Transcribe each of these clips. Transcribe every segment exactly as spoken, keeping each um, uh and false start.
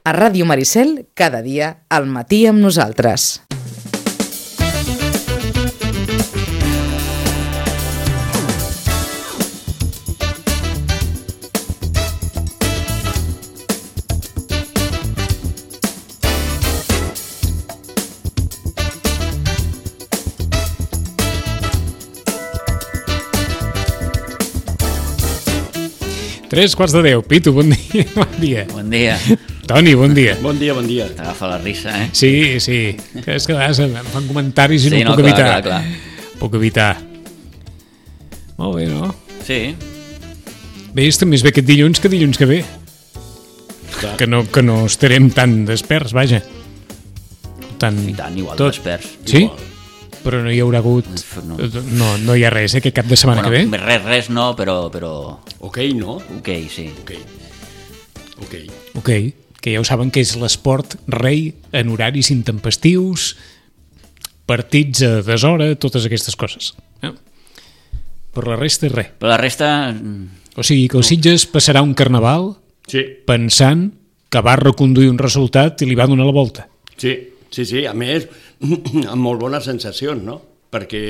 A Ràdio Maricel, cada dia, al matí amb nosaltres. Tres quarts de deu. Pitu, bon dia. Bon dia. Bon dia. Toni, bon dia. Bon dia, bon dia. T'agafa la risa, eh? Sí, sí. Que és que a vegades em fan comentaris i sí, no, no puc clar, evitar. Clar, clar. Puc evitar. Molt bé, no? Sí. Bé, és més bé aquest dilluns que dilluns que ve. Clar. Que no, que no estarem tan desperts, vaja. Tan, I tant, igual tot. desperts. Sí? Igual. Però no hi haurà hagut... No, no, no hi ha res, eh, aquest cap de setmana bueno, que ve? Res, res no, però... però... Ok, no? Ok, sí. Ok. Ok. Ok, que ja ho saben que és l'esport rei en horaris intempestius, partits a deshora, totes aquestes coses. Eh? Per la resta, res. Per la resta... O sigui que el Sitges passarà un carnaval Sí. pensant que va reconduir un resultat i li va donar la volta. Sí, sí, sí. A més, amb molt bones sensacions, no? Perquè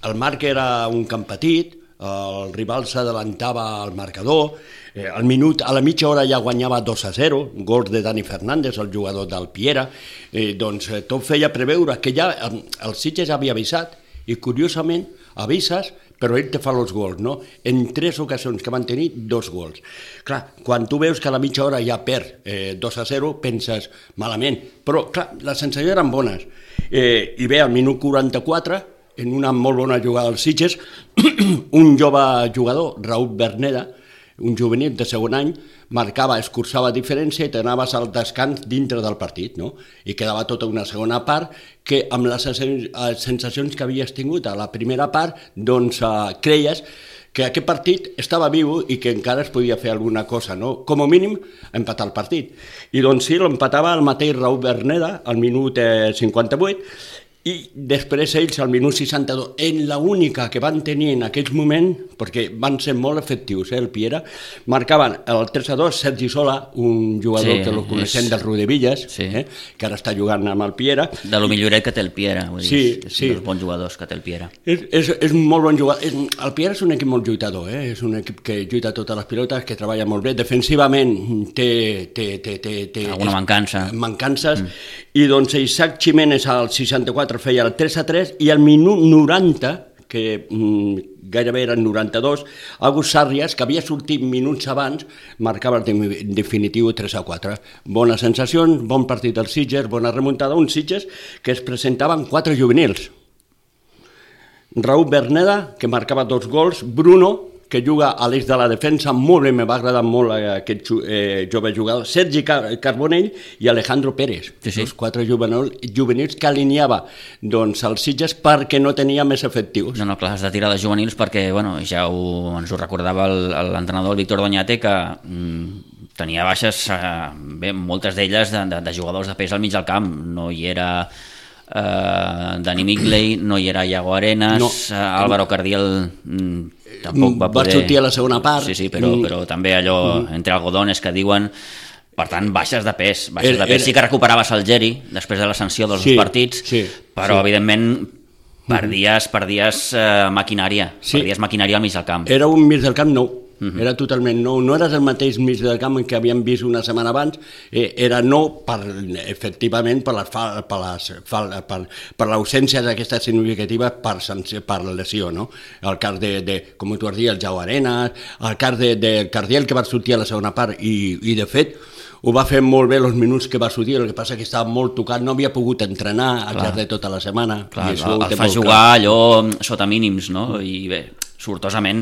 el marc era un camp petit, el rival s'adelantava al marcador, eh, al minut, a la mitja hora ja guanyava dos a zero, gols de Dani Fernández, el jugador del Piera, eh, doncs eh, tot feia preveure que ja eh, el Sitges havia avisat, i curiosament avises, però ell te fa els gols, no? En tres ocasions que van tenir, dos gols. Clar, quan tu veus que a la mitja hora ja perd eh, dos a zero, penses malament, però clar, les sensacions eren bones. Eh, I bé, al minut quaranta-quatre, en una molt bona jugada del Sitges, un jove jugador, Raúl Berneda, un juvenil de segon any, marcava, escurçava diferència i t'anaves al descans dintre del partit, no? I quedava tota una segona part que amb les sensacions que havies tingut a la primera part, doncs eh, creies que aquest partit estava viu i que encara es podia fer alguna cosa, no? Com a mínim, empatar el partit. I doncs sí, l'empatava el mateix Raúl Berneda al minut eh, cinquanta-vuit, i després ells al minut seixanta-dos, en la única que van tenir en aquell moment, perquè van ser molt efectius, eh, el Piera, marcaven el tres a dos Sergi Sola, un jugador Sí, eh, que el coneixem és- del Rodevillas, Sí. eh, que ara està jugant amb el Piera. De lo milloret que té el Piera, vull dir, Sí, és sí. un dels bons jugadors que té el Piera. És, és, és un molt bon jugador. És, el Piera és un equip molt lluitador, eh? És un equip que lluita totes les pilotes, que treballa molt bé. Defensivament té... té, té, té, té Alguna mancança. mancances, mm. I doncs Isaac Jiménez al seixanta-quatre feia el tres a tres i al minut noranta, que mm, gairebé eren noranta-dos, Agus Sarrias, que havia sortit minuts abans, marcava el de- definitiu tres a quatre. Bones sensacions, bon partit del Sitges, bona remuntada, un Sitges que es presentava amb quatre juvenils. Raúl Berneda, que marcava dos gols, Bruno, que juga a l'eix de la defensa, molt bé, me va agradar molt aquest eh, jove jugador, Sergi Car Carbonell i Alejandro Pérez, Sí, sí. els quatre juvenil, juvenils que alineava doncs, els Sitges perquè no tenia més efectius. No, no, clar, has de tirar de juvenils perquè, bueno, ja ho, ens ho recordava el- l'entrenador Víctor Doñate, que mm, tenia baixes, eh, bé, moltes d'elles de, de, de jugadors de pes al mig del camp. No hi era eh, Dani Migley, no hi era Iago Arenas, No. eh, Álvaro Cardiel mm, tampoc va Va poder... sortir a la segona part. Sí, sí, però, Mm. però també allò entre algodones que diuen... Per tant, baixes de pes. Baixes Era- de pes. era- Sí que recuperaves el Geri després de la sanció dels Sí, dos partits, sí, però sí. evidentment perdies, perdies eh, maquinària, Sí. perdies maquinària al mig del camp. Era un mig del camp nou, uh-huh. Era totalment nou, no eres el mateix mig del camp que havíem vist una setmana abans, eh, era nou per, efectivament per les fal, per, les, fal, per, per l'ausència d'aquesta significativa per, sanció, per la lesió, no? El cas de, de com tu has dit, el Jau Arenas, el cas de, de Cardiel que va sortir a la segona part i, i de fet ho va fer molt bé els minuts que va sortir, el que passa que estava molt tocat, no havia pogut entrenar al llarg de tota la setmana. Clar, i això ho el, té el fa molt jugar clar. allò sota mínims, no? I bé, sortosament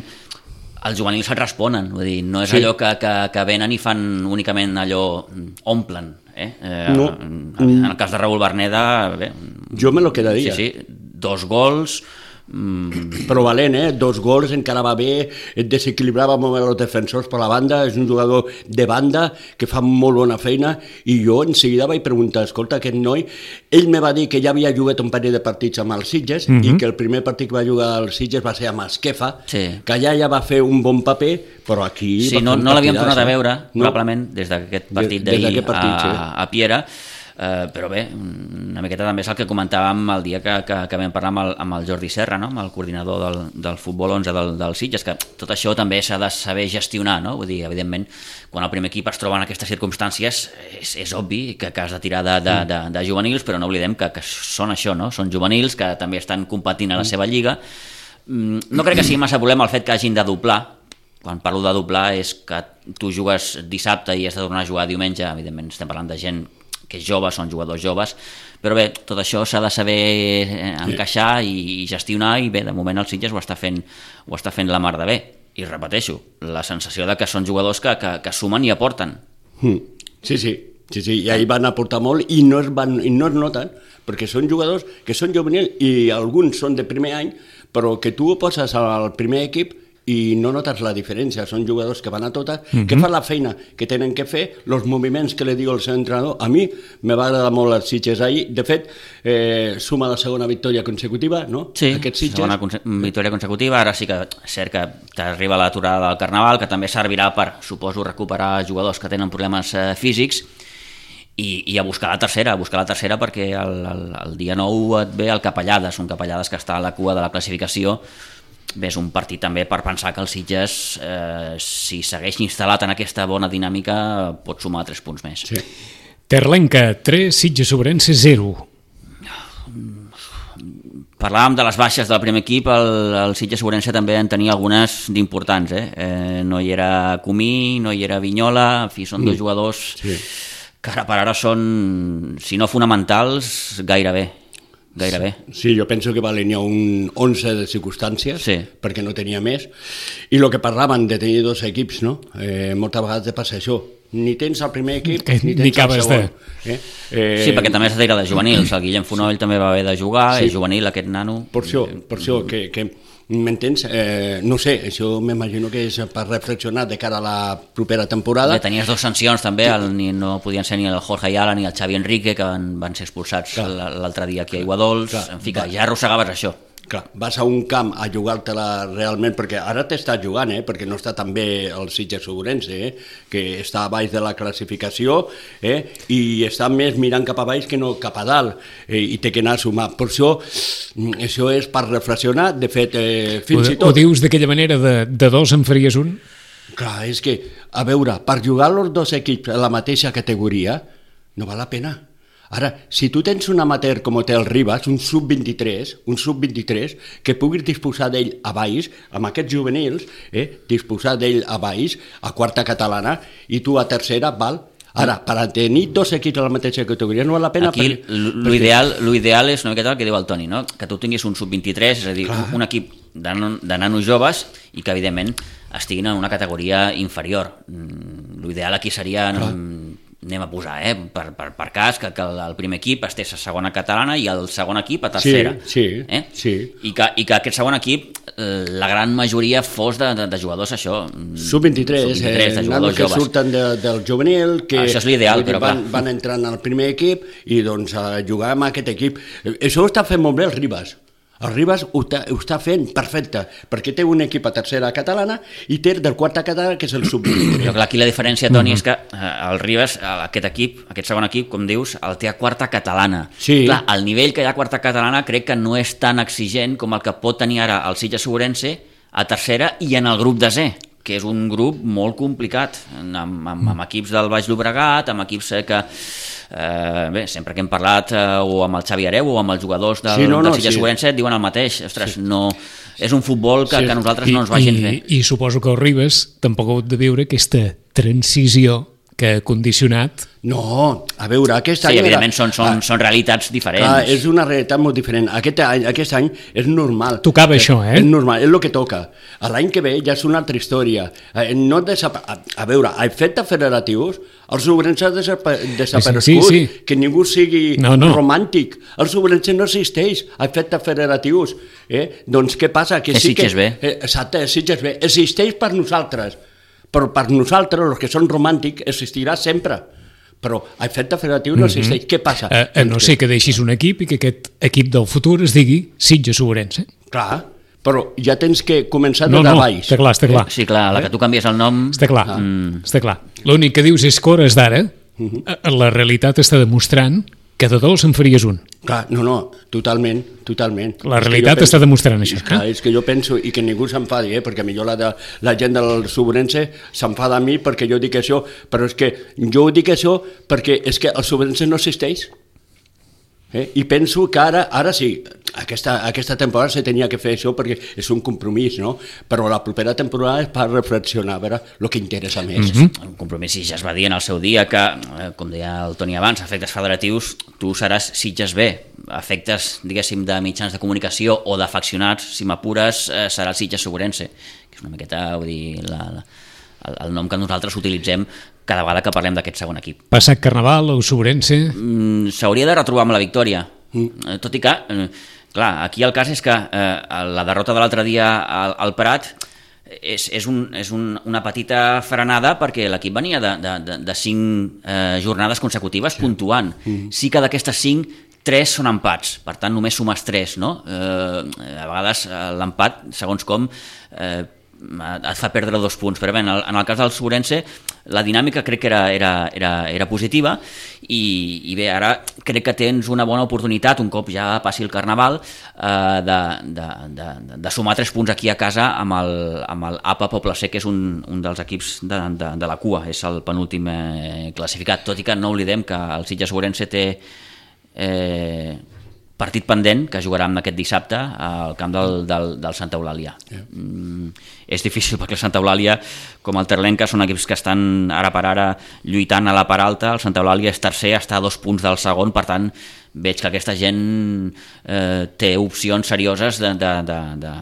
els juvenils et responen, vull dir, no és Sí. allò que, que, que venen i fan únicament allò, omplen, eh? eh No. en, en el cas de Raúl Berneda, bé, Jo me lo quedaria. sí, sí, dos gols, mm, però valent, eh? Dos gols, encara va bé, et desequilibrava molt bé els defensors per la banda, és un jugador de banda que fa molt bona feina, i jo en seguida vaig preguntar, escolta, aquest noi, ell me va dir que ja havia jugat un parell de partits amb els Sitges, mm-hmm. i que el primer partit que va jugar als Sitges va ser amb Esquefa, sí. que allà ja va fer un bon paper, però aquí... Sí, no, no l'havíem tornat a veure, no? probablement, des d'aquest partit d'ahir a, sí. a Piera, Uh, però bé, una miqueta també és el que comentàvem el dia que, que, que vam parlar amb el, amb el Jordi Serra, no? Amb el coordinador del, del futbol onze del, del Sitges, que tot això també s'ha de saber gestionar, no? Vull dir, evidentment, quan el primer equip es troba en aquestes circumstàncies, és, és obvi que, que has de tirar de, de, de, de juvenils, però no oblidem que, que són això, no? Són juvenils que també estan competint a la seva lliga. No crec que sigui massa problema el fet que hagin de doblar. Quan parlo de doblar és que tu jugues dissabte i has de tornar a jugar diumenge, evidentment estem parlant de gent que és jove, són jugadors joves, però bé, tot això s'ha de saber encaixar i gestionar, i bé, de moment el Sitges ho està fent, ho està fent la mar de bé, i repeteixo, la sensació de que són jugadors que, que, que sumen i aporten. Sí, sí, sí, sí, i ahir van aportar molt i no es, van, i no es noten, perquè són jugadors que són juvenils i alguns són de primer any, però que tu ho poses al primer equip i no notes la diferència, són jugadors que van a totes, mm-hmm. que fan la feina que tenen que fer, els moviments que li diu el seu entrenador. A mi me va agradar molt els Sitges ahir, de fet, eh, suma la segona victòria consecutiva, no? Sí, segona conse- victòria consecutiva, ara sí que és cert que t'arriba l'aturada del Carnaval, que també servirà per, suposo, recuperar jugadors que tenen problemes eh, físics, I, i a buscar la tercera, a buscar la tercera perquè el, el, el dia nou et ve el Capellades, un Capellades que està a la cua de la classificació. Bé, és un partit també per pensar que el Sitges, eh, si segueix instal·lat en aquesta bona dinàmica, pot sumar tres punts més. Sí. Terlenca, tres, Sitges Sobrense, zero. Parlàvem de les baixes del primer equip, el, el Sitges Sobrense també en tenia algunes d'importants. Eh? Eh, no hi era Comí, no hi era Vinyola, en fi, són mm. dos jugadors sí. que ara per ara són, si no fonamentals, gairebé. Gairebé. Sí, jo penso que va alinear un onze de circumstàncies, sí. perquè no tenia més, i el que parlaven de tenir dos equips, no? Eh, moltes vegades de passar això, ni tens el primer equip que, ni tens ni el segon. De... Eh? Eh... Sí, perquè també s'ha de tirar de juvenils, el Guillem Fonoll també va haver de jugar, sí. és juvenil aquest nano. Per això, per això que... que m'entens? Eh, no sé, això m'imagino que és per reflexionar de cara a la propera temporada. Bé, tenies dues sancions també, el, ni, no podien ser ni el Jorge Ayala ni el Xavi Enrique, que van, van ser expulsats clar. l'altre dia aquí a Iguadols, clar. en fi, que ja arrossegaves això. Clar, vas a un camp a jugar-te-la realment, perquè ara t'estàs jugant, eh? perquè no està tan bé el Sitges Sobrense, eh? que està a baix de la classificació, eh? i està més mirant cap a baix que no cap a dalt, eh? i té que anar a sumar. Per això, això és per reflexionar, de fet, eh, fins o, i tot... Ho dius d'aquella manera, de, de dos en faries un? Clar, és que, a veure, per jugar els dos equips a la mateixa categoria, no val la pena. Ara, si tu tens un amateur com té el Ribas, un sub vint-i-tres, un sub vint-i-tres, que puguis disposar d'ell a baix, amb aquests juvenils, eh, disposar d'ell a baix, a quarta catalana, i tu a tercera, val? Ara, per tenir dos equips a la mateixa categoria no val la pena... Aquí l'ideal perquè... és una miqueta el que diu el Toni, no? Que tu tinguis un sub vint-i-tres, és a dir, Clar. un equip de, de nanos joves i que, evidentment, estiguin en una categoria inferior. L'ideal aquí seria... Clar. anem a posar, eh, per, per, per cas, que, que el primer equip estés a segona catalana i el segon equip a tercera. Sí, sí, eh? sí. I que, I que aquest segon equip, eh, la gran majoria fos de, de, de jugadors, això... sub vint-i-tres, sub vint-i-tres eh, de jugadors que joves. Surten de, del juvenil, que això és l'ideal, però van, van entrant al primer equip i doncs a jugar amb aquest equip. Això ho està fent molt bé el Ribas. El Ribas ho està, ho està fent perfecte, perquè té un equip a tercera catalana i té del quarta catalana, que és el sub vint-i-tres. Però clar, aquí la diferència, Toni, és que el Ribas, aquest equip, aquest segon equip, com dius, el té a quarta catalana. Sí. Clar, el nivell que hi ha a quarta catalana crec que no és tan exigent com el que pot tenir ara el Sitges Sobrense a tercera i en el grup de Z, que és un grup molt complicat, amb, amb, amb equips del Baix Llobregat, amb equips que... Eh, bé, sempre que hem parlat eh, o amb el Xavi Areu o amb els jugadors del, sí, no, no, del Sitges sí. Sobrense diuen el mateix, ostres, sí. no, és un futbol que, sí. que a nosaltres I, no ens va gens bé. I, I suposo que el Ribas tampoc ha hagut de viure aquesta transició que ha condicionat. No, a veure, aquest Sí, any... evidentment era... són, són, ah, són realitats diferents. Clar, és una realitat molt diferent. Aquest any, aquest any és normal. Tocava això, eh? És normal, és el que toca. L'any que ve ja és una altra història. Eh, No desapa... a, a veure, a efectes federatius, els Ourense ha desapa... desaparegut, sí, sí, sí. que ningú sigui no, no. romàntic. Els Ourense no existeix a efectes federatius. Eh? Doncs què passa? Que És sí que... Sitges B. Eh, exacte, és Sitges B. Existeix per nosaltres, però per nosaltres, els que són romàntics, existirà sempre. Però a efecte federatiu no existeix. Mm -hmm. Què passa? A, a no ser que deixis un equip i que aquest equip del futur es digui Sitges Ourense. Clar, però ja tens que començar de No, no, baix. està clar, està clar. Sí, clar, a la que tu canvies el nom... Està clar, Mm. està clar. L'únic que dius és que hores d'ara la realitat està demostrant que de dos en faries un. Clar, no, no, totalment, totalment. La És que realitat jo penso- està demostrant això. És, clar, Eh? és que jo penso, i que ningú s'enfadi, eh, perquè millor la, de, la gent del Sobrense s'enfada a mi perquè jo dic això, però és que jo dic això perquè és que el Sobrense no existeix. Eh? I penso que ara, ara sí, aquesta, aquesta temporada se tenia que fer això perquè és un compromís, no? Però la propera temporada és per reflexionar, a veure el que interessa més. Mhm. Un compromís, i ja es va dir en el seu dia que, eh, com deia el Toni abans, efectes federatius, tu seràs Sitges B. Efectes, diguéssim, de mitjans de comunicació o d'afeccionats, si m'apures, eh, serà el Sitges Ourense, que és una miqueta, vull dir, la, la, el, el nom que nosaltres utilitzem cada vegada que parlem d'aquest segon equip. Passat Carnaval, o Ourense... Mm, s'hauria de retrobar amb la victòria, mm. tot i que, eh, clar, aquí el cas és que eh, la derrota de l'altre dia al, al Prat és, és, un, és un, una petita frenada perquè l'equip venia de, de, de, de cinc eh, jornades consecutives sí. puntuant. Mm. Sí que d'aquestes cinc, tres són empats, per tant només sumes tres, no? Eh, a vegades l'empat, segons com, eh, et fa perdre dos punts, però bé, en el, en el cas del Ourense la dinàmica crec que era, era, era, era positiva i, i bé, ara crec que tens una bona oportunitat, un cop ja passi el Carnaval, eh, de, de, de, de sumar tres punts aquí a casa amb el, amb el A P A Poble Sec, que és un, un dels equips de, de, de la cua, és el penúltim eh, classificat, tot i que no oblidem que el Sitges Ourense té eh, partit pendent que jugarà aquest dissabte al camp del, del, del Santa Eulàlia. Yeah. Mm, és difícil perquè el Santa Eulàlia, com el Terlenca, són equips que estan ara per ara lluitant a la part alta. El Santa Eulàlia és tercer, està a dos punts del segon, per tant veig que aquesta gent eh, té opcions serioses de, de, de, de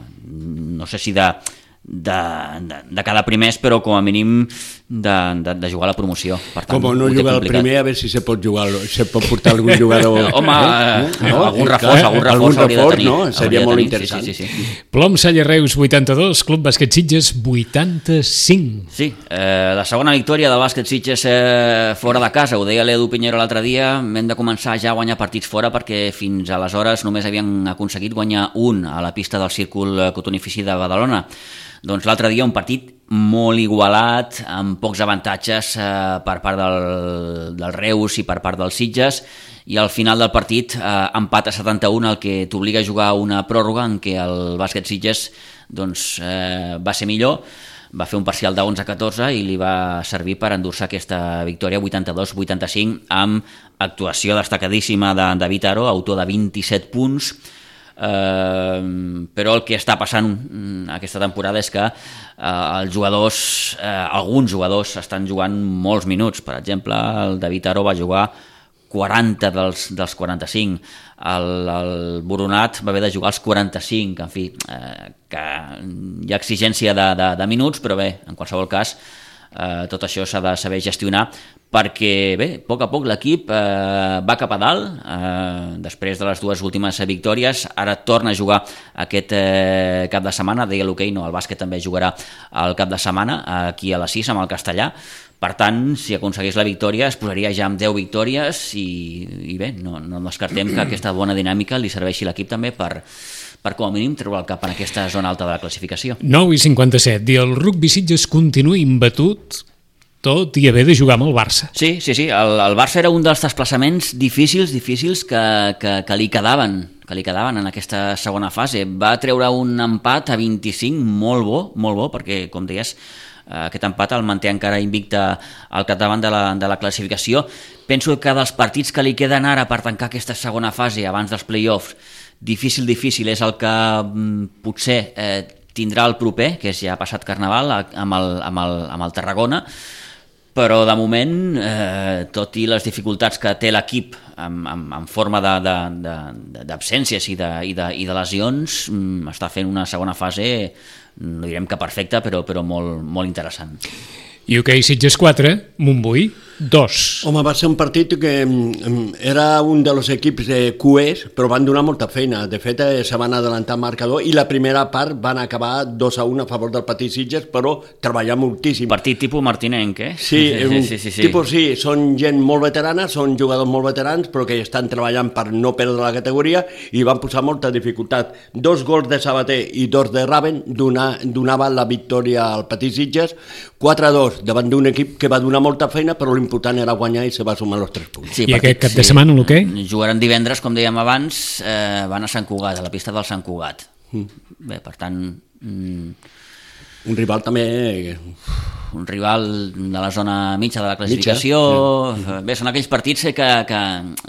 no sé si de De, de, de cada primers, però com a mínim de, de, de jugar a la promoció. Per tant, com no jugar al primer, a veure si se pot jugar, se pot portar algun jugador. Home, eh? no? algun reforç, algun reforç algun hauria reforç, de tenir. no? Seria molt tenir. interessant. Sí, sí, sí, sí. Plom Salle Reus vuitanta-dos, Club Bàsquet Sitges vuitanta-cinc. Sí, eh, la segona victòria del bàsquet Sitges eh, fora de casa, ho deia l'Edu Pinheiro l'altre dia, hem de començar ja a guanyar partits fora perquè fins aleshores només havien aconseguit guanyar un a la pista del Círcul Cotonifici de Badalona. Doncs l'altre dia un partit molt igualat, amb pocs avantatges eh, per part del, del Reus i per part dels Sitges, i al final del partit eh, empat a setanta-un, el que t'obliga a jugar una pròrroga en què el bàsquet Sitges doncs, eh, va ser millor, va fer un parcial de onze a catorze i li va servir per endur-se aquesta victòria vuitanta-dos vuitanta-cinc amb actuació destacadíssima de David Aro, autor de vint-i-set punts. Uh, però el que està passant aquesta temporada és que uh, els jugadors, uh, alguns jugadors estan jugant molts minuts. Per exemple, el David Aro va jugar quaranta dels, dels quaranta-cinc, el, el Boronat va haver de jugar els quaranta-cinc, en fi, uh, que hi ha exigència de, de, de minuts, però bé, en qualsevol cas Uh, tot això s'ha de saber gestionar perquè, bé, a poc a poc l'equip uh, va cap a dalt uh, després de les dues últimes victòries. Ara torna a jugar aquest uh, cap de setmana, deia l'hoquei, no, el bàsquet també jugarà el cap de setmana aquí a les sis amb el Castellà. Per tant, si aconsegueix la victòria es posaria ja amb deu victòries i, i bé, no, no descartem que aquesta bona dinàmica li serveixi a l'equip també per per com a mínim treure el cap en aquesta zona alta de la classificació. nou i cinquanta-set, i el rugby Sitges continua imbatut tot i haver de jugar amb el Barça. Sí, sí, sí, el, el Barça era un dels desplaçaments difícils, difícils que, que, que li quedaven, que li quedaven en aquesta segona fase. Va treure un empat a vint-i-cinc molt bo, molt bo, perquè, com deies, aquest empat el manté encara invicte al capdavant de la, de la classificació. Penso que dels partits que li queden ara per tancar aquesta segona fase abans dels play-offs, difícil, difícil, és el que mm, potser eh, tindrà el proper, que és ja passat Carnaval, amb el, amb el, amb el Tarragona, però de moment, eh, tot i les dificultats que té l'equip en, en, en forma d'absències i, de, i, de, i de lesions, està fent una segona fase, no direm que perfecta, però, però molt, molt interessant. I hoquei Sitges quatre, Montbui dos. Home, va ser un partit que era un dels equips de Q Es, però van donar molta feina. De fet, se van adelantar el marcador i la primera part van acabar dos a un a favor del Petit Sitges, però treballar moltíssim. Partit tipus martinenc, eh? Sí, sí, sí, sí, sí. Tipus sí, són gent molt veterana, són jugadors molt veterans, però que estan treballant per no perdre la categoria i van posar molta dificultat. Dos gols de Sabater i dos de Raven donar, donaven la victòria al Petit Sitges, quatre a dos davant d'un equip que va donar molta feina, però l'important era guanyar i se va sumar els tres punts. Sí, I partit, aquest cap de setmana sí. L'hoquei? Jugaran divendres, com dèiem abans, eh, van a Sant Cugat, a la pista del Sant Cugat. Mm. Bé, per tant... Mm, un rival també... Un rival de la zona mitja de la classificació. Mitja, sí. Bé, són aquells partits que, que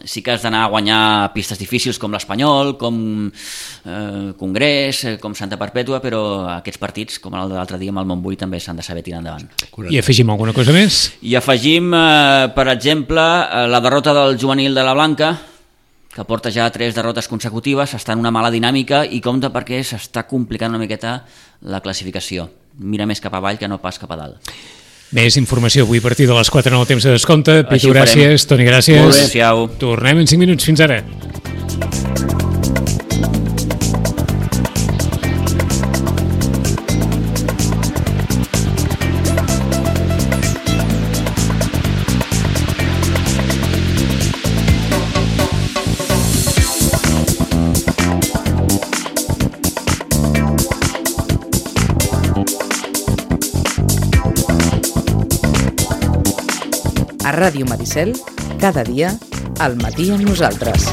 sí que has d'anar a guanyar pistes difícils com l'Espanyol, com eh, Congrés, com Santa Perpètua, però aquests partits, com el de l'altre dia amb el Montbui, també s'han de saber tirar endavant. I afegim alguna cosa més? I afegim, eh, per exemple, la derrota del juvenil de la Blanca, que porta ja tres derrotes consecutives, està en una mala dinàmica i compta perquè s'està complicant una miqueta la classificació. Mira més cap avall que no pas cap a dalt. Més informació avui a partir de les quatre en el temps de descompte. Pitu, gràcies. Toni, gràcies. Molt bé. Adéu. Tornem en cinc minuts. Fins ara. A Ràdio Maricel, cada dia, al matí amb nosaltres.